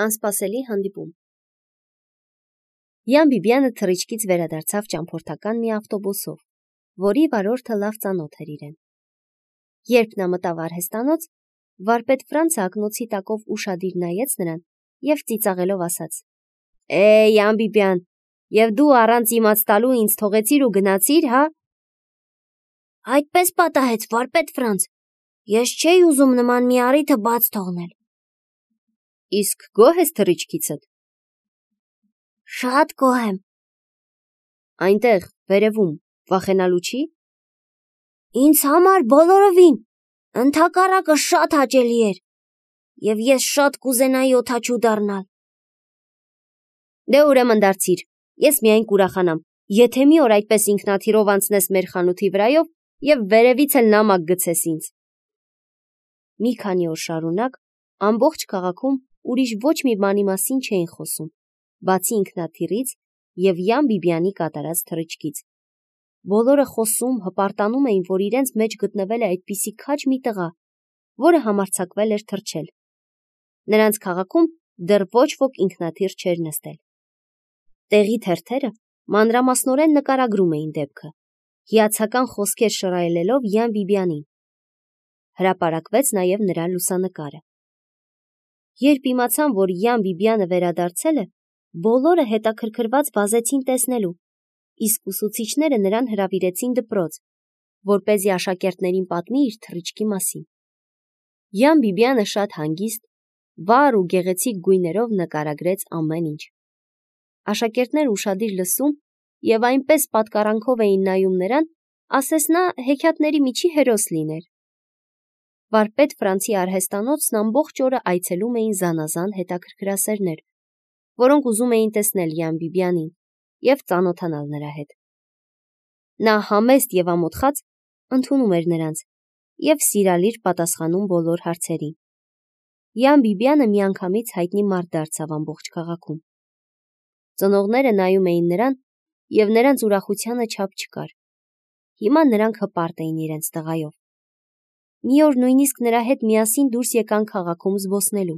Անսպասելի հանդիպում։ Յան Բիբյանը թռիչքից վերադարձավ ճամփորդական մի ավտոբուսով, որի վարորդը լավ ծանոթ էր իրեն։ Երբ նա մտավ արհեստանոց, վարպետ Ֆրանցը ակնոցի տակով ուշադիր նայեց նրան և ծիծաղելով ասաց. Յան Բիբյան, և դու առանց իմաց տալու ինձ թողեցիր ու գնացիր, հա։ Այդպես պատահեց, վարպետ Ֆրանց, ես չէի ուզում նման մի առիթը բաց թողնել։ Իսկ գոհ ես թռիչքիցդ։ Շատ գոհ եմ։ Այնտեղ, վերևում, վախենալու չի։ Ինձ համար բոլորովին, ընդհակառակը շատ հաճելի էր, և ես շատ կուզենայի օդաչու դառնալ։ Դե ուրեմն դարձիր, ես միայն կուրախանամ, եթե մի օր այդպես ինքնաթիռով անցնես մեր խանութի վրայով և վերևից էլ նամակ գցես ինձ։ Մի քանի օր շարունակ ամբողջ քաղաքում ուրիշ ոչ մի բանի մասին չէին խոսում, բացի ինքնաթիռից և Յան Բիբյանի կատարած թռիչքից։ Բոլորը խոսում, հպարտանում էին, որ իրենց մեջ գտնվել է այդպիսի քաջ մի տղա, որը համարձակվել էր թռչել։ Նրանց քաղաքում դեռ ոչ ոք ինքնաթիռ չէր նստել։ Տեղի թերթերը մանրամասնորեն նկարագրում էին դեպքը, հիացական խոսքեր շռայլելով Յան Բիբյանին։ Հրապարակվեց նաև նրա լուսանկարը։ Երբ իմացան, որ Յան Բիբյանը վերադարձել է, բոլորը հետաքրքրված վազեցին տեսնելու, իսկ ուսուցիչները նրան հրավիրեցին դպրոց, որպեսզի աշակերտներին պատմի իր թռիչքի մասին։ Յան Բիբյանը շատ հանգիստ, վառ ու գեղեցիկ գույներով նկարագրեց ամեն ինչ։ Աշակերտները ուշադիր լսում և այնպես պատկառանքով էին նայում նրան, ասես նա հեքիաթների միջի հերոս լիներ։ Վարպետ Ֆրանցի արհեստանոցն ամբողջ օրը այցելում էին զանազան հետաքրքրասերներ, որոնք ուզում էին տեսնել Յան Բիբյանին և ծանոթանալ նրա հետ։ Նա համեստ և ամոթխած ընդունում էր նրանց և սիրալիր պատասխանում բոլոր հարցերին։ Յան Բիբյանը միանգամից հայտնի մարդ դարձավ ամբողջ քաղաքում։ Ծնողները նայում էին նրան, և նրանց ուրախությանը չափ չկար։ Հիմա նրանք հպարտ էին իրենց տղայով։ Մի օր նույնիսկ նրա հետ միասին դուրս եկան քաղաքում զբոսնելու։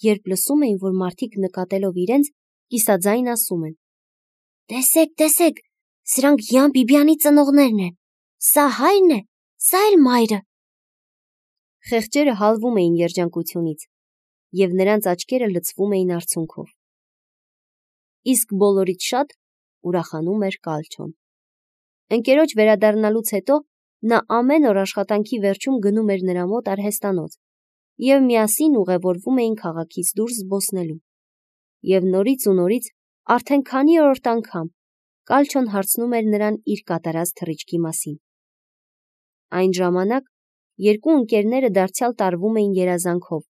Երբ լսում էին, որ մարդիկ նկատելով իրենց, կիսաձայն ասում են. Տեսեք, սրանք Յան Բիբյանի ծնողներն են, սա հայրն է, սա էլ մայրը։ Խեղճերը հալվում էին երջանկությունից, և նրանց աչքերը լցվում էին արցունքով։ Իսկ բոլորից շատ ուրախանում էր Կալչոն։ Ընկերոջ վերադառնալուց հետո նա ամեն օր աշխատանքի վերջում գնում էր նրա մոտ արհեստանոց, և միասին ուղևորվում էին քաղաքից դուրս զբոսնելու։ Եվ նորից ու նորից, արդեն քանի-օրորդ անգամ, Կալչոն հարցնում էր նրան իր կատարած թռիչքի մասին։ Այն ժամանակ երկու ընկերները դարձյալ տարվում էին երազանքով,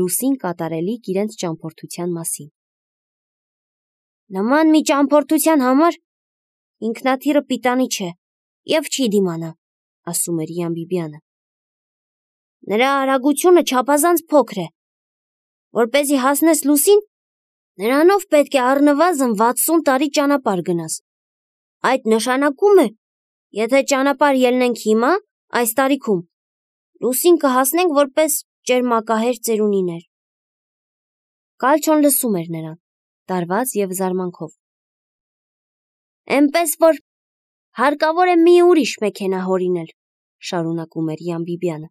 լուսին կատարելիք իրենց ճամփորդության մասին։ Նման մի ճամփորդության համար ինքնաթիռը պիտանի չէ և չի դիմանա, ասում էր Յան Բիբյանը։ Նրա արագությունը չափազանց փոքր է։ Որպեսզի հասնես լուսին, նրանով պետք է առնվազն 60 տարի ճանապարհ գնաս։ Այդ նշանակում է, եթե ճանապարհ ելնենք հիմա, այս տարիքում, լուսին կհասնենք որպես ճերմակահեր ծերունիներ։ Կալչոն լսում էր նրան, տարված և զարմանքով։ Էնպես որ հարկավոր է մի ուրիշ մեքենա հորինել, շարունակում էր Յան Բիբյանը։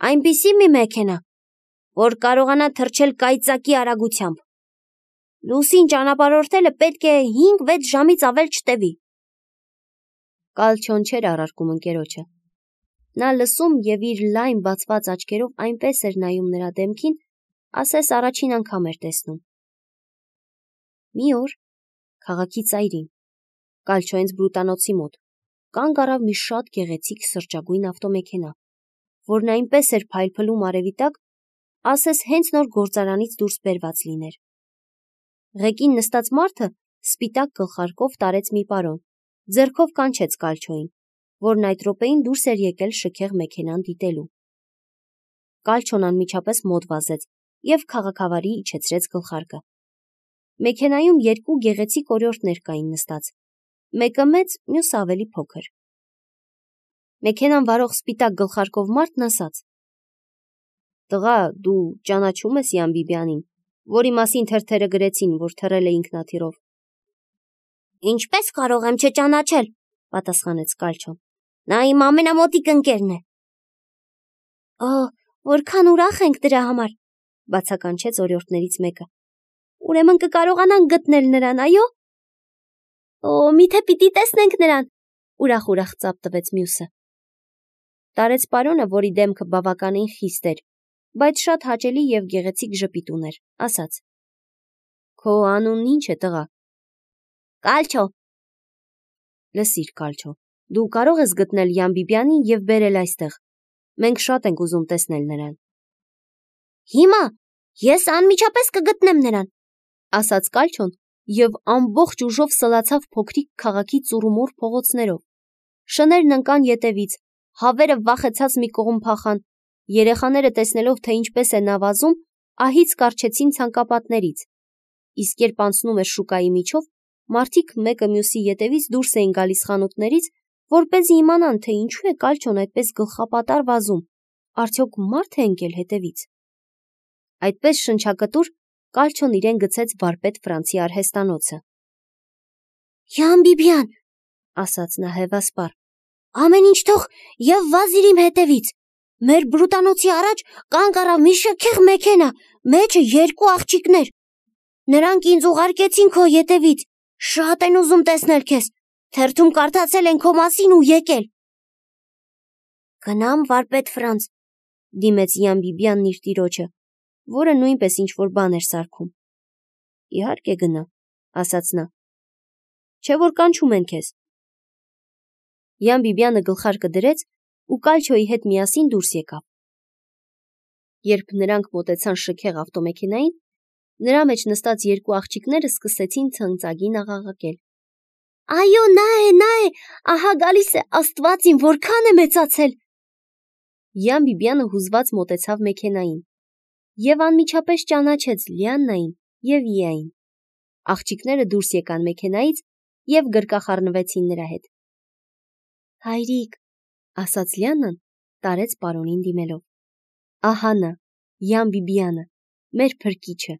Այնպիսի մի մեքենա, որ կարողանա թռչել կայծակի արագությամբ։ Լուսին ճանապարհորդելը պետք է 5-6 ժամից ավել չտևի։ Կալչոն չէր առարկում ընկերոջը։ Նա լսում և իր լայն բացված աչքերով այնպես էր նայում նրա դեմքին, ասես առաջին անգամ էր տեսնում։ Մի օր քաղաքի ծայրին, Կալչոյենց բրուտանոցի մոտ, կանգ առավ մի շատ գեղեցիկ սրճագույն ավտոմեքենա, որն այնպես էր փայլփլում արևի տակ, ասես հենց նոր գործարանից դուրս բերված լիներ։ Ղեկին նստած մարդը սպիտակ գլխարկով տարեց մի պարոն, ձեռքով կանչեց Կալչոյին, որն այդ րոպեին դուրս էր եկել շքեղ մեքենան դիտելու։ Կալչոն անմիջապես մոտ վազեց և քաղաքավարի իջեցրեց գլխարկը։ Մեքենայում երկու գեղեցիկ օրիորդներ կային նստած, մեկը մեծ, մյուսը ավելի փոքր։ Մեքենան վարող սպիտակ գլխարկով մարդն ասաց. «Տղա, դու ճանաչում ես Յան Բիբյանին, որի մասին թերթերը գրեցին, որ թռել է ինքնաթիռով։ Ինչպես կարող եմ չճանաչել, պատասխանեց Կալչոն։ Նա իմ ամենամոտիկ ընկերն է։ Որքան ուրախ ենք դրա համար, բացականչեց օրիորդներից մեկը։ Ուրեմն կկարողանանք գտնել նրան, այո։ Միթե պիտի տեսնենք նրան, ուրախ ծափ տվեց մյուսը։ Տարեց պարոնը, որի դեմքը բավականին խիստ էր, բայց շատ հաճելի եւ գեղեցիկ ժպիտ ուներ, ասաց. Քո անունն ինչ է, տղա։ Կալչո։ Լսիր, Կալչո, դու կարող ես գտնել Յան Բիբյանին եւ բերել այստեղ։ Մենք շատ ենք ուզում տեսնել նրան։ Հիմա ես անմիջապես կգտնեմ նրան, ասաց Կալչոն եւ ամբողջ ուժով սլացավ փոքրիկ քաղաքի ծուռումուռ փողոցներով։ Շներն ընկան ետևից, հավերը վախեցած մի կողմ փախան, երեխաները տեսնելով, թե ինչպես է նա վազում, ահից կառչեցին ցանկապատներից։ Իսկ երբ անցնում էր շուկայի միջով, մարդիկ մեկը մյուսի ետևից դուրս էին գալիս խանութներից, որպեսզի իմանան, թե ինչու է Կալչոն այդպես գլխապատար վազում, արդյոք մարդ է ընկել հետևից։ Այդպես շնչակտուր Կալչոն իրեն գցեց վարպետ Ֆրանցի արհեստանոցը։ Յան Բիբյան, ասաց նա հևասպառ, ամեն ինչ թող եւ վազիր իմ հետևից։ Մեր բրուտանոցի առաջ կանգ առավ մի շքեղ մեքենա, մեջը 2 աղջիկներ։ Նրանք ինձ ուղարկեցին քո ետևից, շատ են ուզում տեսնել քեզ, թերթում կարդացել են քո մասին ու եկել։ Գնամ վարպետ Ֆրանց, դիմեց Յան Բիբյանն իր տիրոջը, որը նույնպես ինչ-որ բան էր սարքում։ Իհարկե գնա, ասաց նա։ Չէ՞ որ կանչում են քեզ։ Յան Բիբյանը գլխարկը դրեց ու Կալչոյի հետ միասին դուրս եկավ։ Երբ նրանք մոտեցան շքեղ ավտոմեքենային, նրա մեջ նստած 2 աղջիկները սկսեցին ցնծագին աղաղակել։ Այո, նա է, ահա գալիս է, Աստված իմ, որքան է մեծացել։ Յան Բիբյանը հուզված մոտեցավ մեքենային եւ անմիջապես ճանաչեց Լիաննային եւ Իային։ Աղջիկները դուրս եկան մեքենայից եւ գրկախառնվեցին նրա հետ։ Հայրիկ, ասաց Լիաննան, տարեց պարոնին դիմելով։ Ահա նա, Յան Բիբյանը, մեր փրկիչը։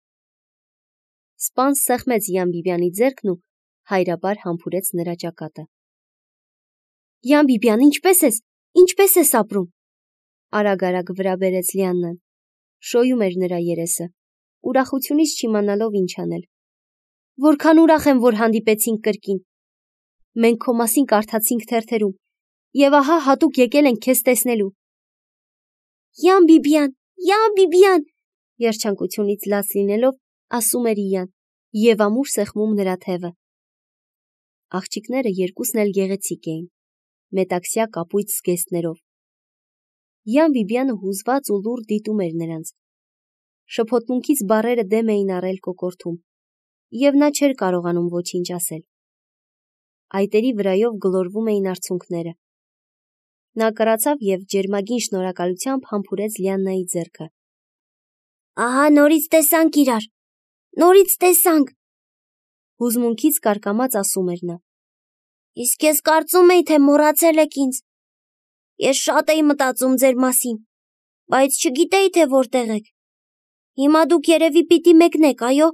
Սպան սեղմեց Յան Բիբյանի ձեռքն ու հայրաբար համբուրեց նրա ճակատը։ Յան Բիբյան, ինչպես ես ապրում։ Արագ վրա բերեց Լիաննան։ Շոյում էր նրա երեսը, ուրախությունից չիմանալով ինչ անել։ Որքան ուրախ եմ, որ հանդիպեցինք կրկին։ Մենք քո մասին կարդացինք թերթերում, եւ ահա հատուկ եկել ենք քեզ տեսնելու։ Յան Բիբյան, երջանկությունից լաց լինելով, ասում էր Իան, եւ ամուր սեղմում նրա թևը։ Աղջիկները երկուսն էլ գեղեցիկ էին, մետաքսյա կապույտ զգեստներով։ Յան Բիբյանը հուզված ու լուռ դիտում էր նրանց։ Շփոթմունքից բառերը դեմ էին առել կոկորդում, եւ նա չէր կարողանում ոչինչ ասել։ Այտերի վրայով գլորվում էին արցունքները։ Նա կրացավ եւ ջերմագին շնորհակալությամբ համբուրեց Լիաննայի ձեռքը։ Ահա նորից տեսանք իրար։ Նորից տեսանք։ Հուզմունքից կարկամած ասում էր նա։ Իսկ ես կարծում էի, թե մոռացել եք ինձ։ Ես շատ էի մտածում ձեր մասին, բայց չգիտեի, թե որտեղ եք։ Հիմա դուք երևի պիտի մեկնեք, այո։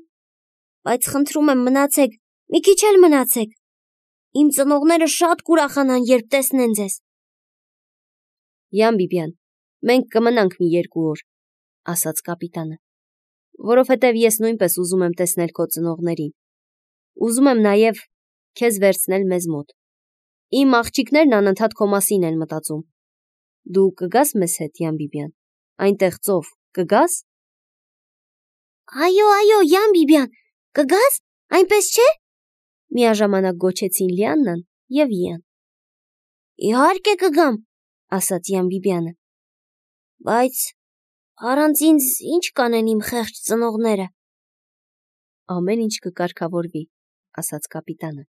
Բայց խնդրում եմ մնացեք, մի քիչ էլ մնացեք։ Իմ ծնողները շատ կուրախանան, երբ տեսնեն ձեզ։ Յան Բիբյան, մենք կմնանք մի 2 օր, ասաց կապիտանը, որովհետև ես նույնպես ուզում եմ տեսնել քո ծնողներին։ Ուզում եմ նաև քեզ վերցնել մեզ մոտ։ Իմ աղջիկներն անընդհատ քո մասին են մտածում։ Դու կգաս մեզ հետ, Յան Բիբյան, այնտեղ ծով, կգաս։ Այո, Յան Բիբյան, կգաս, այնպես չէ։ Միաժամանակ գոչեցին Լիաննան եւ Իան։ Իհարկե կգամ, ասաց Յան Բիբյանը։ Բայց առանց ինձ ինչ կանեն իմ խեղճ ծնողները։ Ամեն ինչ կկարգավորվի, ասաց կապիտանը։